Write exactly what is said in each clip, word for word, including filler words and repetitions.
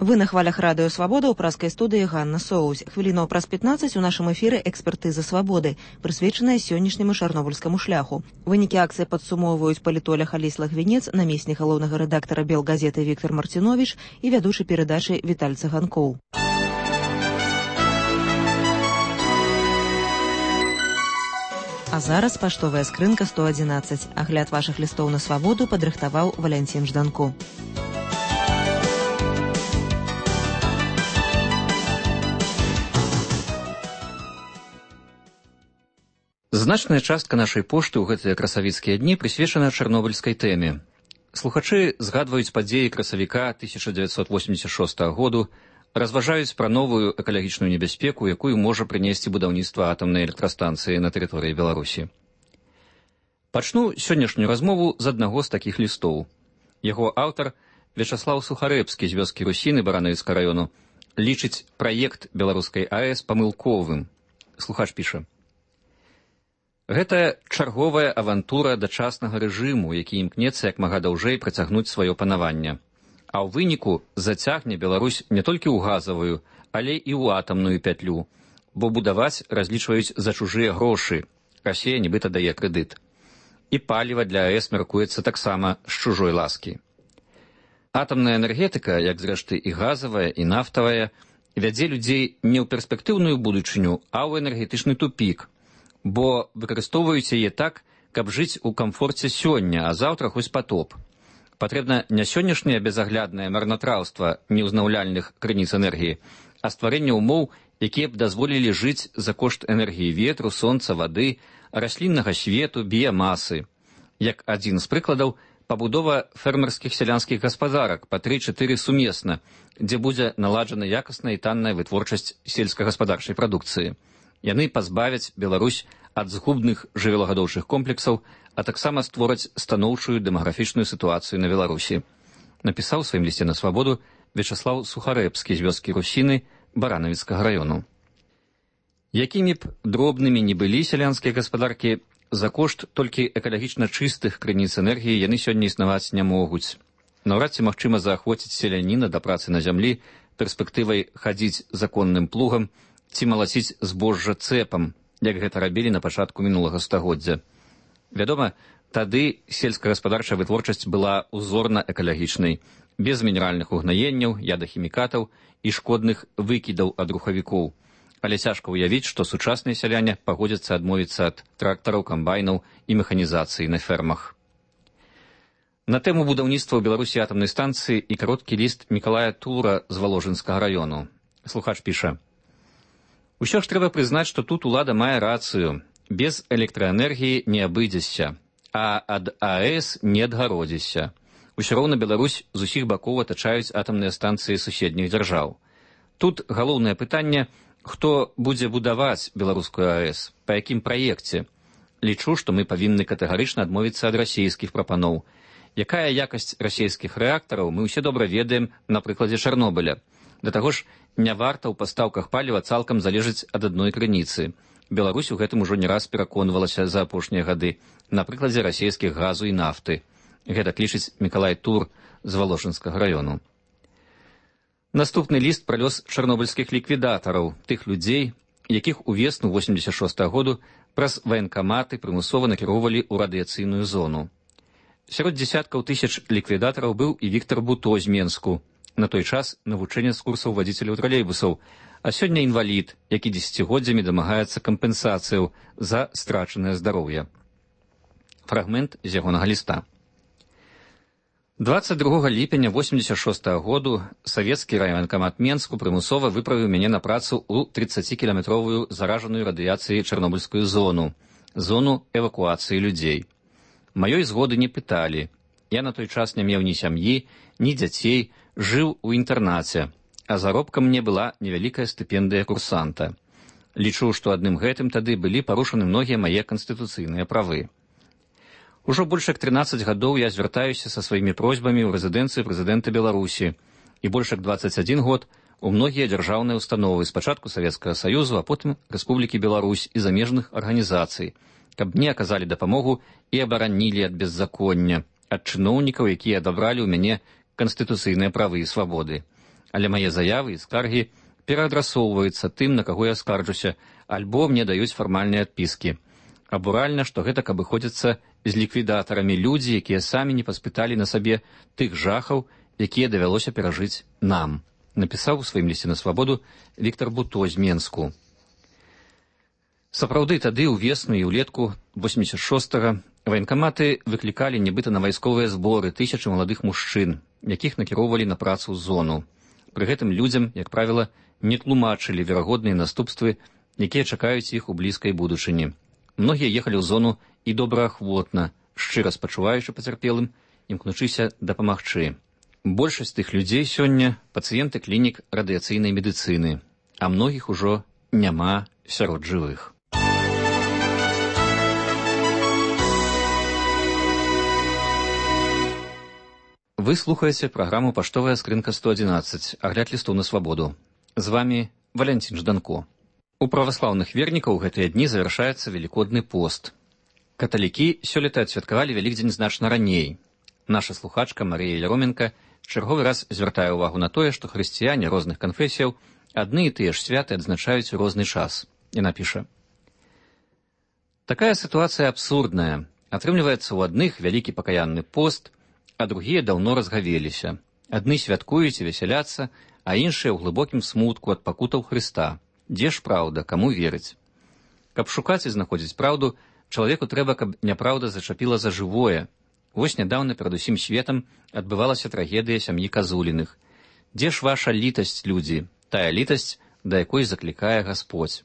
Вы на хвалях радыё «Свабода» ў праскай студыі Ганна Соусь. Хвілінаў праз пятнаццаць у нашым эфіры «Экспертыза свабоды», прысвечаная сённяшняму чарнобыльскаму шляху. Вынікі акцыі падсумоўваюць палітолог Алесь Лагвінец, намеснік галоўнага рэдактара «Белгазеты» Віктор Марціновіч і вядучы перадачы Віталь Цыганкоў. А зараз паштовая скрынка сто адзінаццаць. Агляд вашых лістоў на свабоду падрыхтаваў Валянцін Жданко. Значная частка нашай пошты ў гэтыя красавіцкія дні прысвечана чарнобыльскай тэме. Слухачы згадваюць падзеі красавіка тысяча дзевяцьсот восемьдесят шостага году, разважаюць пра новую экалагічную небяспеку, якую можа прынесці будаўніцтва атамнай электрастанцыі на тэрыторыі Беларусі. Пачну сённяшнюю размову з аднаго з такіх лістоў. Яго аўтар, Вячаслаў Сухарэбскі з вёскі Русіны Баранавіцкага раёну, лічыць праект беларускай АЭС памылковым. Слухач піша: гэта чарговая авантура дачаснага рэжыму, які імкнецца як мага даўжэй працягнуць сваё панаванне. А ў выніку зацягне Беларусь не толькі ў газавую, але і ў атамную пятлю, бо будаваць разлічваюць за чужыя грошы. Расія нібыта дае крэдыт. І паліва для АЭС мяркуецца таксама з чужой ласкі. Атамная энергетыка, як зрэшты і газавая, і нафтавая, вядзе людзей не ў перспектыўную будучыню, а ў энергетычны тупік, бо выкарыстоўваюць яе так, каб жыць у камфорце сёння, а заўтра хоць патоп. Патрэбна не сённяшняе безагляднае марнатраўства неўзнаўляльных крыніц энергіі, а стварэнне ўмоў, якія б дазволілі жыць за кошт энергіі ветру, сонца, вады, расліннага свету, біямасы. Як адзін з прыкладаў, пабудова фермерскіх сялянскіх гаспадарак па тры-чатыры сумесна, дзе будзе наладжана якасная і танная вытворчасць сельскагаспадарчай прадукцыі. Яны пазбавяць Беларусь ад згубных жывёлагадоўчых комплексаў, а таксама створаць станоўчую дэмаграфічную сітуацыю на Беларусі. Напісаў у сваім лісце на свабоду Вячаслаў Сухарэбскі з вёскі Русіны Баранавіцкага раёну. Якімі б дробнымі не былі сялянскія гаспадаркі, за кошт толькі экалагічна чыстых крыніц энергіі яны сёння існаваць не могуць. Наўрад ці магчыма заахвоціць селяніна да працы на зямлі перспектывай хадзіць законным плугам ці малаціць збожжа цэпам, як гэта рабілі на пачатку мінулага стагоддзя. Вядома, тады сельскагаспадарчая вытворчасць была узорна-экалагічнай, без мінеральных угнаенняў, ядахімікатаў і шкодных выкідаў ад рухавікоў. Але цяжка ўявіць, што сучасныя сяляне пагодзяцца адмовіцца ад трактараў, камбайнаў і механізацыі на фермах. На тэму будаўніцтва ў Беларусі атамнай станцыі і кароткі ліст Мікалая Тура з Валожынскага раёну. Слухач піша: усё ж трэба прызнаць, што тут улада мае рацыю. Без электраэнергіі не абыдзешся, а ад АЭС не адгародзішся. Усё роўна Беларусь з усіх бакоў атачаюць атамныя станцыі суседніх дзяржаў. Тут галоўнае пытанне, хто будзе будаваць беларускую АЭС, па якім праекце. Лічу, што мы павінны катэгарычна адмовіцца ад расійскіх прапаноў. Якая якасць расійскіх рэактараў, мы ўсе добра ведаем на прыкладзе Чарнобыля. Да таго ж, не варта ў пастаўках паліва цалкам залежыць ад адной крыніцы. Беларусь у гэтым ужо не раз пераконвалася за апошнія гады на прыкладзе расійскіх газу і нафты. Гэта лічыць Мікалай Тур з Валожынскага раёну. Наступны ліст пра лёс чарнобыльскіх ліквідатараў, тых людзей, якіх у весну восемьдесят шостага году праз ваенкаматы прымусова накіроўвалі ў радыяцыйную зону. Сярод дзесяткаў тысяч ліквідатараў быў і Віктор Буто з Менску, на той час навучэнец курсаў вадзіцеляў тралейбусаў, а сёння інвалід, які дзесяцігоддзямі дамагаецца кампенсацыяў за страчанае здароўе. Фрагмент з ягонага ліста. дваццаць другога ліпеня восемьдесят шостага году савецкі райваенкамат Менску прымусова выправіў мяне на працу ў трыццацікіламетровую заражаную радыяцыяй чарнобыльскую зону, зону эвакуацыі людзей. Маёй згоды не пыталі. Я на той час не меў ні сям'і, ні дзяцей, жыў у інтэрнаце, а заробкам мне была невялікая стыпендыя курсанта. Лічу, што адным гэтым тады былі парушаны многія мае канстытуцыйныя правы. Ужо больш як трынаццаць гадоў я звяртаюся са сваімі просьбамі ў рэзідэнцыі прэзідэнта Беларусі, і больш як дваццаць адзін год у многія дзяржаўныя установы, спачатку Савецкага Саюзу, а потым Рэспублікі Беларусь і замежных арганізацый, каб мне аказалі дапамогу і абаранілі ад беззаконня, ад чыноўнікаў, якія адабралі ў мяне канстытуцыйныя правы і свабоды. але мае заявы і скаргі пераадрасоўваюцца тым, на каго я скарджуся, альбо мне даюць фармальныя адпіскі. Абуральна, што гэтак абыходзяцца з ліквідатарамі людзі, якія самі не паспыталі на сабе тых жахаў, якія давялося перажыць нам, напісаў у сваім лісце на свабоду Віктор Буто з Менску. Сапраўды, тады ўвесну і ўлетку восемьдесят шостага ваенкаматы выклікалі нібыта на вайсковыя зборы тысячы маладых мужчын, якіх накіроўвалі на працу ў зону. Пры гэтым людзям, як правіла, не тлумачылі верагодныя наступствы, якія чакаюць іх у блізкай будучыні. Многія ехалі ў зону і добраахвотна, шчыра спачуваючы пацярпелым, імкнучыся дапамагчы. Большасць тых людзей сёння пацыенты клінік радыяцыйнай медыцыны, а многіх ужо няма сярод жывых. Вы слухаеце праграму «Паштовая скрынка сто адзінаццаць», агляд лістоў на свабоду. З вами Валянцін Жданко. У праваслаўных вернікаў гэтыя дні завяршаецца велікодны пост. Каталікі сёлета адсвяткавалі Вялікдзень значна раней. Наша слухачка Марія Яроменка чарговы раз звяртае ўвагу на тое, што хрысціяне розных канфесіяў адны і тыя ж святы адзначаюць у розны час. Яна піша: «Такая сітуацыя абсурдная. Атрымліваецца, у адных вялікі пакаянны пост, а другія даўно разгавеліся. Адны святкуюць і весяляцца, а іншыя ў глыбокім смутку ад пакутаў Хрыста. Дзе ж праўда, каму верыць? Каб шукаць і знаходзіць праўду, чалавеку трэба, каб няпраўда зачапіла за жывое. Вось нядаўна перад усім светам адбывалася трагедыя сям'і Казуліных. Дзе ж ваша літасць, людзі, тая літасць, да якой заклікае Гасподзь?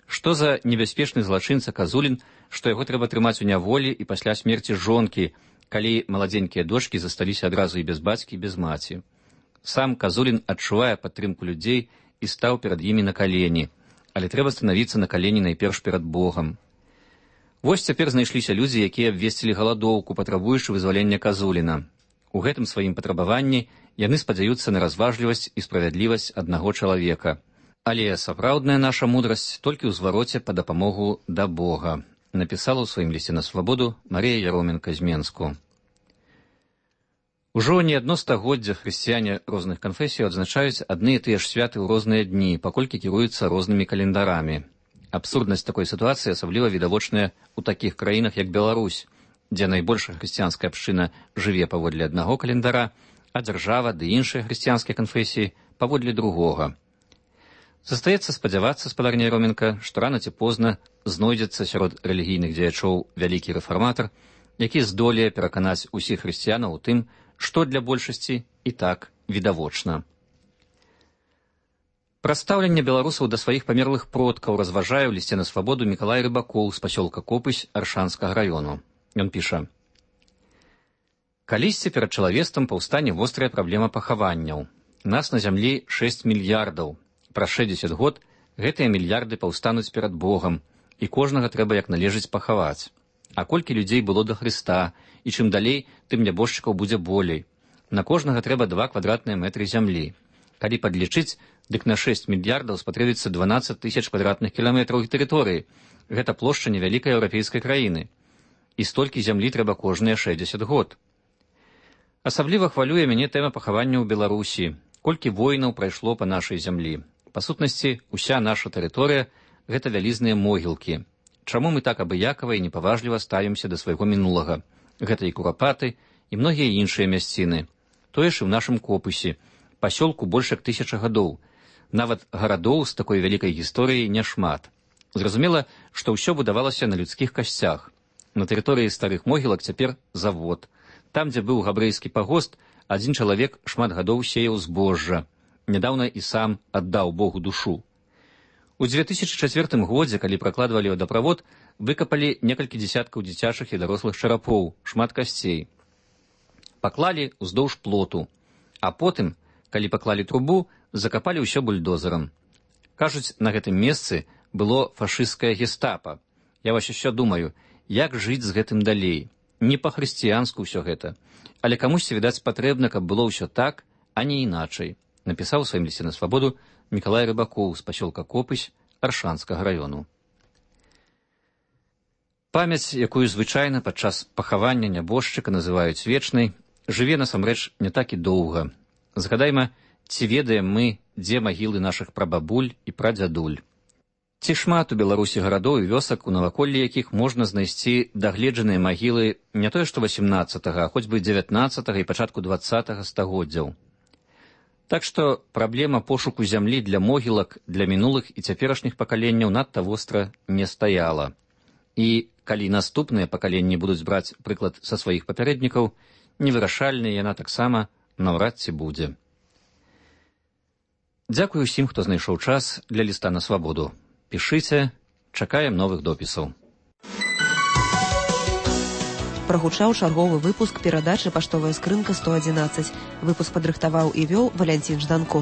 Што за небяспечны злачынца Казулін, што яго трэба трымаць у няволі і пасля смерці жонкі, калі маладзенькія дочкі засталіся адразу і без бацькі, і без маці? Сам Казулін адчувае падтрымку людзей і стаў перад імі на калені, але трэба станавіцца на калені найперш перад Богам. Вось цяпер знайшліся людзі, якія абвесцілі галадоўку, патрабуючы вызвалення Казуліна. У гэтым сваім патрабаванні яны спадзяюцца на разважлівасць і справядлівасць аднаго чалавека. Але сапраўдная наша мудрасць толькі ў звароце па дапамогу да Бога, напісала ў сваім лісце на свабоду Марія Яроменка з Менску. Ужо не адно стагоддзя хрысціяне розных канфесіяў адзначаюць адны і тыя ж святы ў розныя дні, паколькі кіруюцца рознымі календарамі. Абсурднасць такой сітуацыі асабліва відавочная ў такіх краінах, як Беларусь, дзе найбольшая хрысціянская абшчына жыве паводле аднаго календара, а дзяржава ды іншыя хрысціянскія канфесіі паводле другога. Застаецца спадзявацца, спадарня Яроменка, што рана ці позна знойдзецца сярод рэлігійных дзеячоў вялікі рэфарматар, які здолее пераканаць усіх хрысціянаў у тым, што для большасці і так відавочна. Пра стаўленне беларусаў да сваіх памерлых продкаў разважае ў лісце на свабоду Мікалай Рыбакоў з пасёлка Копысь Аршанскага раёну. Ён піша: «Калісьці перад чалавецтвам паўстане вострая праблема пахаванняў. Нас на зямлі шэсць мільярдаў. Праз шэсцьдзесят год гэтыя мільярды паўстануць перад Богам, і кожнага трэба як належыць пахаваць. А колькі людзей было да Хрыста, і чым далей, тым нябожчыкаў будзе болей. На кожнага трэба два квадратныя мэтры зямлі. Калі падлічыць, дык на шэсць мільярдаў спатрэбіцца дванаццаць тысяч квадратных кіламетраў тэрыторыі. Гэта плошча невялікай еўрапейскай краіны. І столькі зямлі трэба кожныя шэсцьдзесят год. Асабліва хвалюе мяне тэма пахавання ў Беларусі. Колькі воінаў прайшло па нашай зямлі. Па сутнасці, уся наша тэрыторыя – гэта вялізныя могілкі. Чаму мы так абыякава і непаважліва ставімся да свайго мінулага? Гэта і Курапаты, і многія іншыя мясціны. Тое ж і ў нашым Копысе. Пасёлку больш як тысяча гадоў. Нават гарадоў з такой вялікай гісторыяй няшмат. Зразумела, што ўсё будавалася на людскіх касцях. На тэрыторыі старых могілак цяпер завод. Там, дзе быў габрэйскі пагост, адзін чалавек шмат гадоў сеяў збожжа. Нядаўна і сам аддаў Богу душу. У дзве тысячы чацвёртым годзе, калі пракладвалі вадаправод, выкапалі некалькі дзесяткаў дзіцячых і дарослых чарапоў, шмат касцей. Паклалі ўздоўж плоту, а потым, калі паклалі трубу, закапалі ўсё бульдозерам. Кажуць, на гэтым месцы было фашысцкае гестапа. Я вось усё думаю, як жыць з гэтым далей. Не па-хрысціянску ўсё гэта. Але камусьці, відаць, патрэбна, каб было ўсё так, а не іначай, напісаў у сваім лісце на свабоду Мікалай Рыбакоў з пасёлка Копысь Аршанскага раёну. Памяць, якую звычайна падчас пахавання нябожчыка называюць вечнай, жыве насамрэч не так і доўга. Згадайма Ці ведаем мы, дзе магілы нашых прабабуль і прадзядуль? Ці шмат у Беларусі гарадоў і вёсак, у наваколлі якіх можна знайсці дагледжаныя магілы не тое што васямнаццатага, а хоць бы дзевятнаццатага і пачатку дваццатага стагоддзяў. Так што праблема пошуку зямлі для могілак для мінулых і цяперашніх пакаленняў надта востра не стаяла. І калі наступныя пакаленні будуць браць прыклад са сваіх папярэднікаў, невырашальная яна таксама наўрад ці будзе. Дзякую ўсім, хто знайшоў час для ліста на свабоду. Пішыце, чакаем новых допісаў. Прагучаў чарговы выпуск перадачы «Паштовая скрынка сто адзінаццаць». Выпуск падрыхтаваў і вёў Валянцін Жданко.